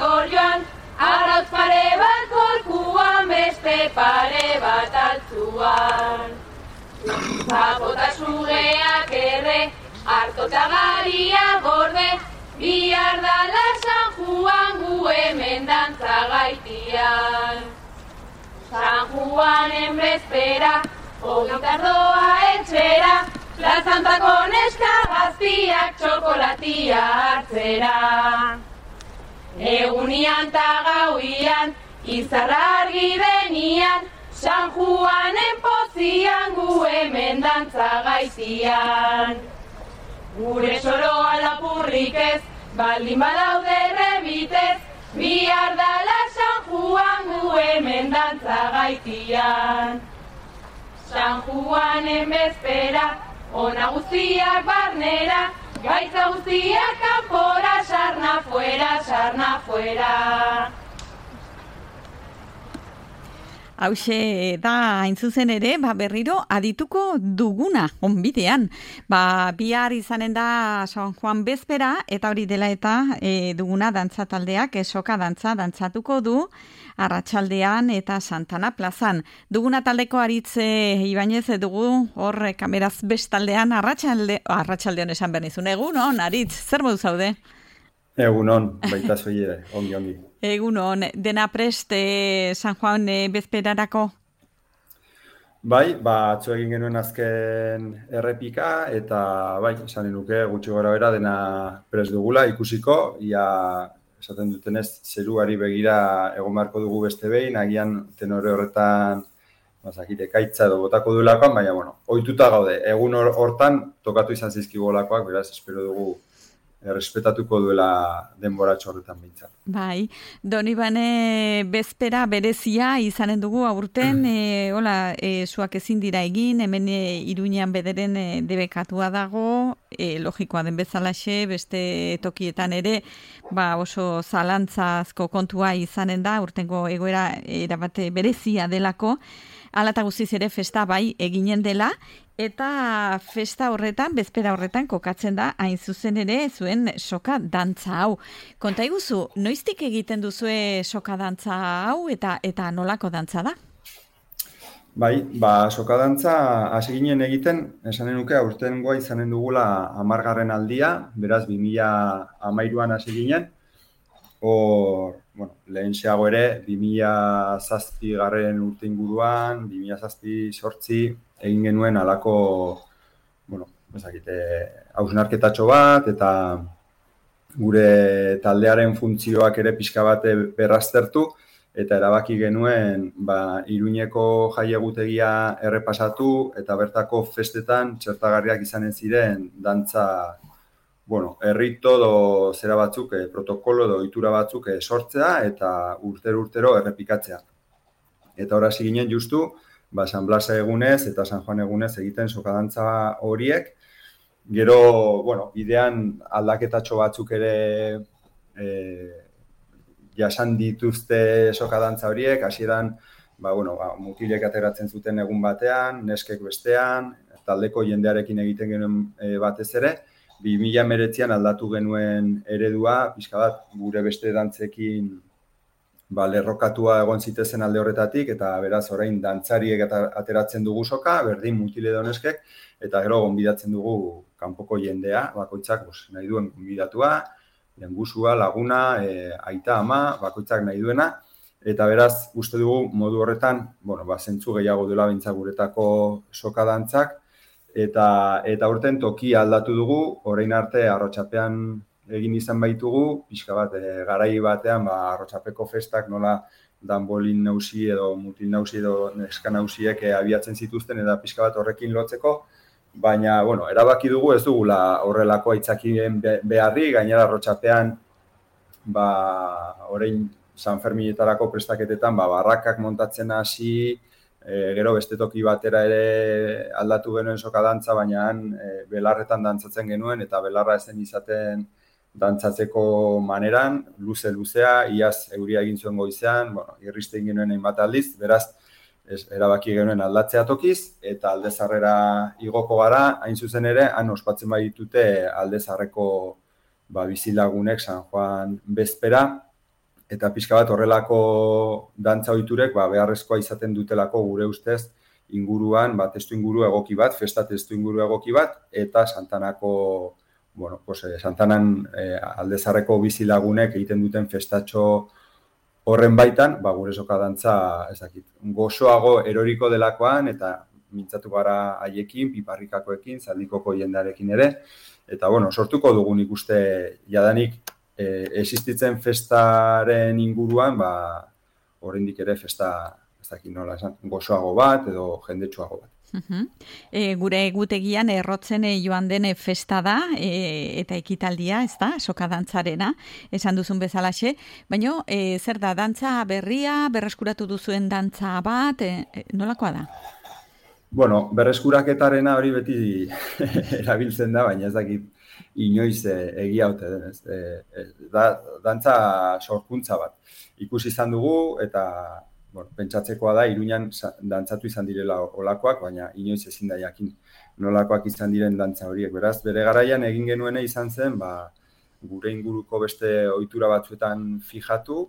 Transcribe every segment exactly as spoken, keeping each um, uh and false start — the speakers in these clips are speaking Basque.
azkor joan, arrautz pare bat gorkuan, beste pare bat altzuan. Zapota sugeak erre, hartota garia gorde, bihar dala San Juan gu hemen dantza gaitian. San Juanen bezpera, ogitardoa etxera, plazantako neska gaztiak txokolatia hartzera. Egunian ta gauian, izarra argi denian, San Juanen pozian gu hemen dantza gaitian. Gure soroa lapurrik ez, baldin badaude rebitez, bihar dala San Juan gu hemen dantza gaitian. San Juanen bezpera, ona guztiak barnera, gaitza guztiak kanpora, sarna fuera, sarna fuera. Hauxe da hain zuzen ere, ba, berriro adituko duguna, onbidean. Ba, bihar izanen da San Juan bezpera, eta hori dela eta e, duguna dantza taldeak, soka dantza dantzatuko du, Arratsaldean eta Santana plazan. Duguna taldeko Aritze Ibanez dugu, hor kameraz bestaldean, arratsalde, arratsaldean esan behar nizun. Egunon, Aritz, zer modu zaude? Egunon, baita zoi ere, ongi, ongi. Egunon, dena prest eh, San Juan eh, bezperarako? Bai, ba, atzo egin genuen azken errepika, eta bai, esan nuke gutxi gora bera dena prest dugula, ikusiko, ia esaten dutenez zeruari begira egon beharko dugu beste behin, agian tenore horretan bazakite kaitza edo botako duelakoan, baina, bueno, ohituta gaude, egun hortan tokatu izan zizkigolakoak, beraz, espero dugu errespetatuko duela denboratxo horretan bintzat. Bai, Donibane bezpera berezia izanen dugu aurten, e, hola, e, zuak ezin dira egin, hemen e, Iruñean bederen e, debekatua dago, e, logikoa den bezalaxe, beste tokietan ere, ba oso zalantzazko kontua izanen da, urtengo egoera erabate berezia delako, hala eta guztiz ere festa bai eginen dela, eta festa horretan, bezpera horretan kokatzen da, hain zuzen ere zuen soka dantza hau. Konta iguzu, noiztik egiten duzue soka dantza hau eta eta nolako dantza da? Bai, ba, soka dantza hasi ginen egiten, esanen nuke aurtengoa izanen dugula hamargarren aldia, beraz bi mila hamairuan hasi ginen, hor, bueno, lehen xeago ere, bi mila zazpigarren urte inguruan, bi mila zazpi sortzi, egin genuen alako, bueno, ezakite, hausnarketatxo bat, eta gure taldearen funtzioak ere pixka bat berraztertu, eta erabaki genuen, ba, Iruñeko jaiegutegia errepasatu, eta bertako festetan txertagarriak izanen ziren dantza, bueno, errito do zera batzuk, eh, protokolo do ohitura batzuk eh, sortzea, eta urtero-urtero errepikatzea. Eta hor hasi ginen justu, ba, San Blas egunez eta San Juan egunez egiten sokadantza horiek. Gero, bueno, bidean aldaketatxo batzuk ere e, jasan dituzte sokadantza horiek, hasieran, ba, bueno, ba, mutilek ateratzen zuten egun batean, neskek bestean, taldeko jendearekin egiten genuen e, batez ere, bi mila hemeretzian aldatu genuen eredua, pixka bat gure beste dantzekin ba, lerrokatua egon zitezen alde horretatik, eta beraz orain dantzariek ateratzen dugu soka, berdin mutile doneskek, eta gero gonbidatzen dugu kanpoko jendea, bakoitzak bos, nahi duen gonbidatua, lengusua, laguna, e, aita, ama, bakoitzak nahi duena, eta beraz uste dugu modu horretan, bueno, ba, zentzu gehiago dela behintzak guretako soka dantzak, eta, eta urten toki aldatu dugu, orain arte Arrotxapean egin izan baitugu, pixka bat, e, garai batean, ba, Arrotxapeko festak nola danbolin nausi edo mutil nausi edo neska nausiek e, abiatzen zituzten, eta pixka bat horrekin lotzeko, baina, bueno, erabaki dugu ez dugula horrelako aitzakien beharri, gainera Arrotxapean, ba, orain San Ferminetarako prestaketetan, ba, barrakak montatzen hasi, e, gero beste toki batera ere aldatu genuen soka dantza, baina e, belarretan dantzatzen genuen, eta belarra ezen izaten dantzatzeko maneran, luze-luzea, iaz euria egin zuen goizean, bueno, irriste egin genuen hainbat aldiz, beraz, ez, erabaki genuen aldatzea tokiz, eta aldezarrera igoko gara, hain zuzen ere, han ospatzen baditute aldezarreko ba, bizilagunek San Juan bezpera, eta pixka bat horrelako dantza ohiturek ba, beharrezkoa izaten dutelako gure ustez inguruan, ba, testu inguru egoki bat, festa testu inguru egoki bat, eta Santanako, bueno, pues, Santanan eh, aldezarreko bizilagunek egiten duten festatxo horren baitan, ba, gure soka dantza, ez dakit, gozoago eroriko delakoan, eta mintzatu gara haiekin, piparrikakoekin, zaldikoko jendarekin ere, eta, bueno, sortuko dugun ikuste jadanik e, existitzen festaren inguruan, ba, oraindik ere festa, ez dakit nola esan, gozoago bat edo jendetsuago bat. Uh-huh. E, gure egutegian errotzen joan den festa da e, eta ekitaldia, ez da, soka dantzarena, esan duzun bezalaxe, baina e, zer da, dantza berria, berreskuratu duzuen dantza bat, e, e, nolakoa da? Bueno, berreskuraketarena hori beti erabiltzen da, baina ez dakit inoiz e, egia haute denez. E, e, da, dantza sorkuntza bat. Ikusi izan dugu eta bueno, pentsatzekoa da, Iruñan dantzatu izan direla olakoak, baina inoiz ezin da jakin nolakoak izan diren dantza horiek. Beraz, bere garaian egin genuena izan zen, ba, gure inguruko beste ohitura batzuetan fijatu,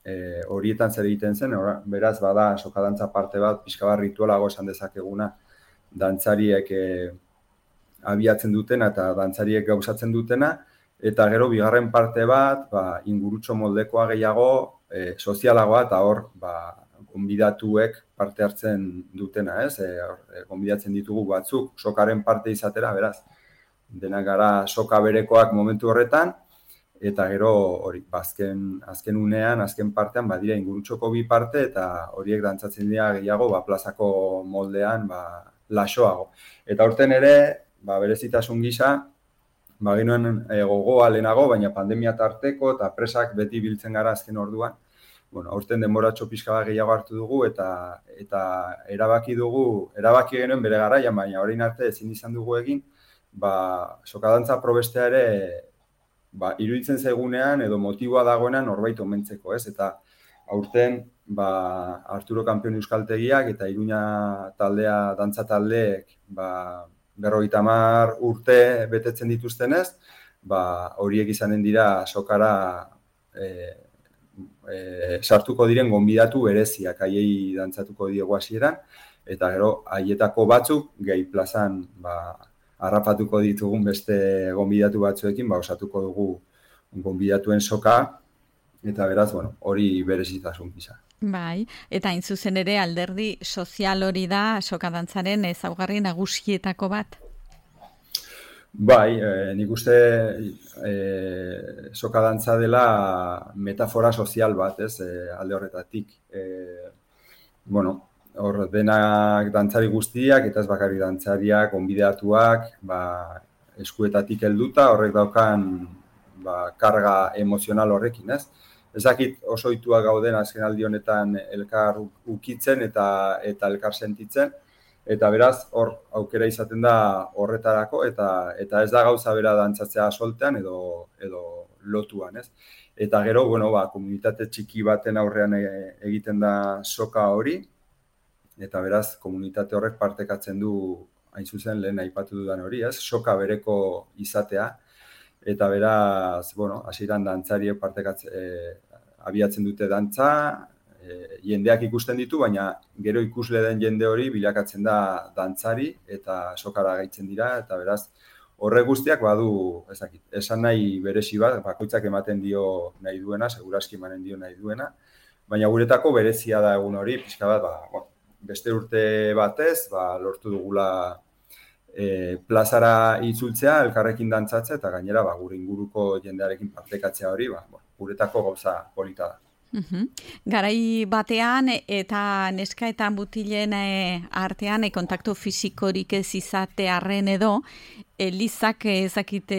e, horietan zer egiten zen, ora, beraz, bada, soka dantza parte bat, pixka bat ritualago esan dezakeguna, dantzariek e, abiatzen dutena eta dantzariek gauzatzen dutena, eta gero bigarren parte bat, ba, ingurutxo moldekoa gehiago, e, sozialagoa, eta hor, ba, gonbidatuek parte hartzen dutena, ez? E, gonbidatzen ditugu batzuk, sokaren parte izatera, beraz, denak gara soka berekoak momentu horretan, eta gero hori, azken, azken unean, azken partean, badira ingurutxoko bi parte, eta horiek dantzatzen dira gehiago, ba, plazako moldean, ba, lasoago. Eta horten ere, ba, berezitasun gisa, ba, genuen e, gogoa lehenago, baina pandemia tarteko, eta presak beti biltzen gara azken orduan, bueno, aurten denboratxo pixka bat gehiago hartu dugu eta eta erabaki dugu, erabaki genuen bere garaian, baina orain arte ezin izan dugu egin, ba, sokadantza probestea ere ba, iruditzen zaigunean edo motiboa dagoenan norbait omentzeko, ez? Eta aurten ba, Arturo Kanpion Euskaltegiak eta Iruña taldea, dantza taldeek ba, berrogeita hamar urte betetzen dituztenez, ba, horiek izanen dira sokara e, E, sartuko diren gonbidatu bereziak, haiei dantzatuko diegu hasieran, eta gero haietako batzuk gehi plazan ba, harrapatuko ditugun beste gonbidatu batzuekin, ba, osatuko dugu gonbidatuen soka, eta beraz, bueno, hori berezitasun gisa. Bai, eta hain zuzen ere alderdi sozial hori da soka dantzaren ezaugarri nagusietako bat? Bai, eh, nik uste eh, soka dantza dela metafora sozial bat, ez, eh, alde horretatik. Eh, bueno, hor denak dantzari guztiak, eta ez bakarrik dantzariak, gonbidatuak, ba, eskuetatik helduta, horrek daukan ba, karga emozional horrekin, ez? Ezakit oso ohituak gauden azken aldi honetan elkar ukitzen eta, eta elkar sentitzen, eta beraz, hor aukera izaten da horretarako, eta eta ez da gauza bera dantzatzea soltean edo edo lotuan, ez? Eta gero, bueno, ba, komunitate txiki baten aurrean egiten da soka hori, eta beraz, komunitate horrek partekatzen du, hain zuzen lehen aipatu dudan hori, ez? Soka bereko izatea, eta beraz, bueno, hasieran dantzariek partekatzen, e, abiatzen dute dantza, E, jendeak ikusten ditu, baina gero ikusle den jende hori bilakatzen da dantzari eta sokara gaitzen dira, eta beraz horre guztiak badu, ezakit, esan nahi berezi bat, bakoitzak ematen dio nahi duena, seguraski emanen dio nahi duena, baina guretako berezia da egun hori, pixka bat, ba, bueno, beste urte batez, ba, lortu dugula e, plazara itzultzea, elkarrekin dantzatzea, eta gainera ba, gure inguruko jendearekin partekatzea hori, ba, bueno, guretako gauza polita da. Uhum. Garai batean eta neska eta mutilen artean e, kontaktu fisikorik ez izatearren edo Elizak ezakite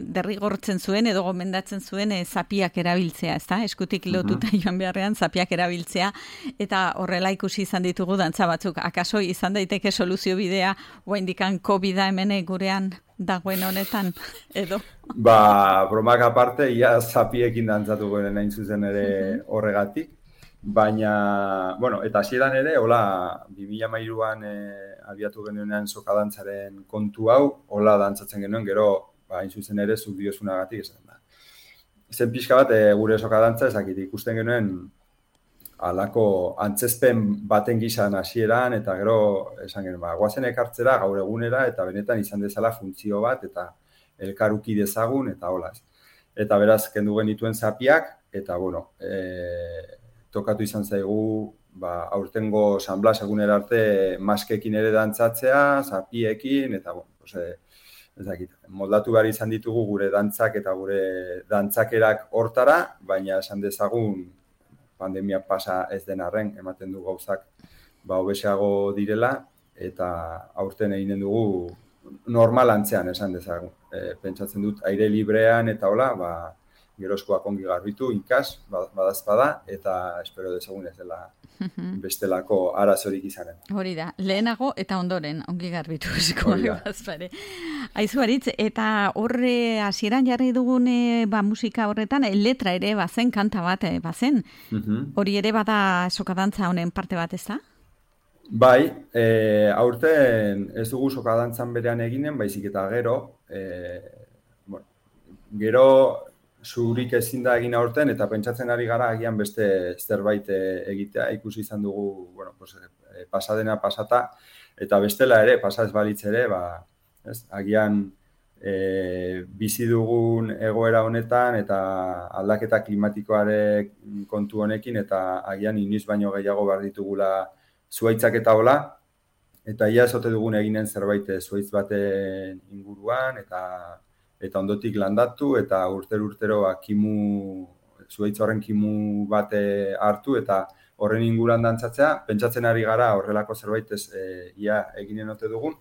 derrigortzen zuen edo gomendatzen zuen e, zapiak erabiltzea, ezta? Eskutik lotuta uh-huh. joan beharrean zapiak erabiltzea, eta horrela ikusi izan ditugu dantza batzuk. Akaso izan daiteke soluzio bidea oraindikan covida hemen gurean dagoen honetan edo? Ba, bromak aparte, ia zapiekin dantzatuko den hain zuzen ere uh-huh. horregatik. Baina, bueno, eta hasieran ere, hola, bi mila hamairuan e, abiatu genuenean soka dantzaren kontu hau, hola dantzatzen genuen, gero, ba, hain zuzen ere, zuk diozunagatik esan da. zen pixka bat e, gure sokadantza ezakit ikusten genuen alako antzezpen baten gizan hasieran eta gero esan genuen, ba, guazen ekartzera gaur egunera eta benetan izan dezala funtzio bat eta elkaruki dezagun eta hola. Eta beraz, kendu genituen zapiak eta, bueno, e, tokatu izan zaigu ba, aurtengo San Blas egunera arte maskekin ere dantzatzea, zapiekin eta, bueno, pues, e, ez dakit, moldatu behar izan ditugu gure dantzak eta gure dantzakerak hortara, baina esan dezagun pandemia pasa ez den arren, ematen du gauzak ba hobesago direla eta aurten eginen dugu normal antzean esan dezagun. E, pentsatzen dut aire librean eta hola, ba gerozkoak ongi garbitu, ikas, badazpada, eta espero dezagun ez dela bestelako arazorik izanen. Hori da, lehenago eta ondoren ongi garbitu esiko bazpare. Aizu Aritz, eta horre hasieran jarri dugun ba, musika horretan, letra ere bazen, kanta bat bazen. Hori ere bada sokadantza honen parte bat, ez da? Bai, e, aurten ez dugu sokadantzan berean eginen, baizik eta gero, e, bueno, gero zurik ezin da egin aurten eta pentsatzen ari gara agian beste zerbait egitea, ikusi izan dugu, bueno, pues, pasadena pasata, eta bestela ere, pasaz balitz ere, ba, ez, agian e, bizi dugun egoera honetan eta aldaketa klimatikoare kontu honekin, eta agian inoiz baino gehiago behar ditugula zuaitzak eta hola, eta ia esote dugun eginen zerbait zuaitz baten inguruan, eta eta ondotik landatu, eta urtero-urtero ba, kimu, zuaitz horren kimu bate hartu, eta horren inguruan dantzatzea, pentsatzen ari gara horrelako zerbait ez e, ia eginen ote dugun,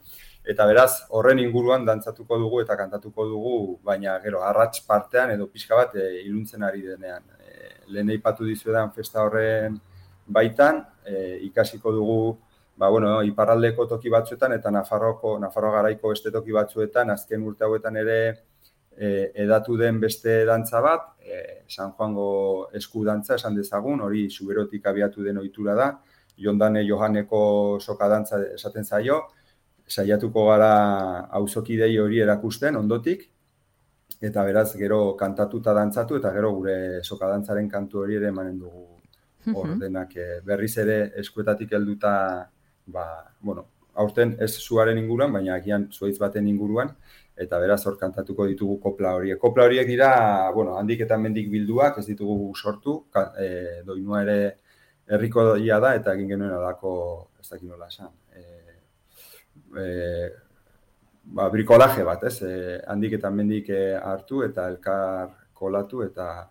eta beraz, horren inguruan dantzatuko dugu eta kantatuko dugu, baina gero, arrats partean edo pixka bat e, iluntzen ari denean. E, lehen aipatu dizuedan festa horren baitan, e, ikasiko dugu, ba, bueno, iparraldeko toki batzuetan eta Nafarroko, Nafarroa garaiko beste toki batzuetan, azken urte hauetan ere e, edatu den beste dantza bat, e, San Juango esku dantza esan dezagun, hori Zuberotik abiatu den ohitura da, Jondane Johaneko soka dantza esaten zaio, saiatuko gara auzokidei hori erakusten ondotik, eta beraz gero kantatuta dantzatu, eta gero gure soka dantzaren kantu hori ere emanen dugu ordenak e, berriz ere eskuetatik helduta. Ba, bueno, aurten ez zuaren inguruan, baina agian zuaitz baten inguruan, eta beraz hor kantatuko ditugu kopla horiek. Kopla horiek dira, bueno, handik eta mendik bilduak, ez ditugu sortu, ka, e, doinua ere herriko doia da, eta egin genuen alako, ez dakit nola esan, e, e, ba, brikolaje bat, ez? E, handik eta mendik e, hartu, eta elkar kolatu, eta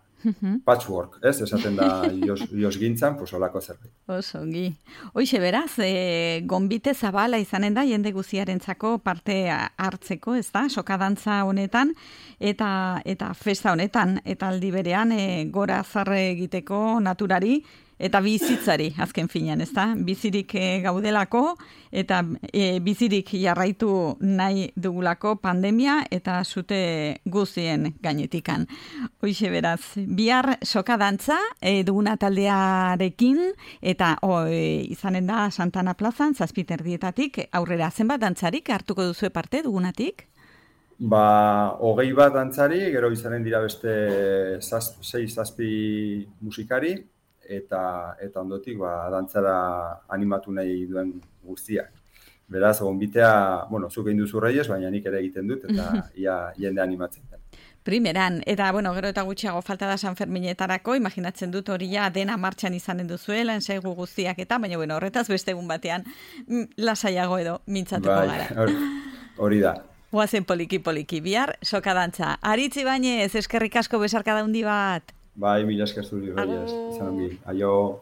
patchwork, ez? Esaten da jos, jos gintzan, pues olako zerbait. Oso, ongi. Hoixe beraz, e, gonbite zabala izanen da, jende guziarentzako parte hartzeko, ez da, sokadantza honetan, eta eta festa honetan, eta aldi berean e, gora zarre egiteko naturari, eta bizitzari, azken finean, ez da? Bizirik e, gaudelako, eta e, bizirik jarraitu nahi dugulako pandemia, eta zute guzien gainetikan. Hoixe beraz, bihar sokadantza e, duguna taldearekin, eta o, e, izanen da Santana plazan, zazpiterdietatik, aurrera zenbat dantzarik hartuko duzue parte dugunatik? Ba, hogei bat dantzari, gero izanen dira beste zaz, sei zazpi musikari, eta eta ondotik ba dantzara animatu nahi duen guztiak. Beraz, gonbitea, bueno, zuk egin duzu Reyes, baina nik ere egiten dut, eta ia jende animatzen da. Primeran, eta bueno, gero eta gutxiago falta da San Ferminetarako, imaginatzen dut hori ja dena martxan izanen duzuela, ensaigu guztiak eta, baina bueno, horretaz beste egun batean lasaiago edo mintzatuko bai, gara. Hori da. Goazen poliki poliki, bihar sokadantza. Aritz Ibañez, eskerrik asko besarkada handi bat. Bai, mila esker zuri, Reyes. Izan ongi. Aio.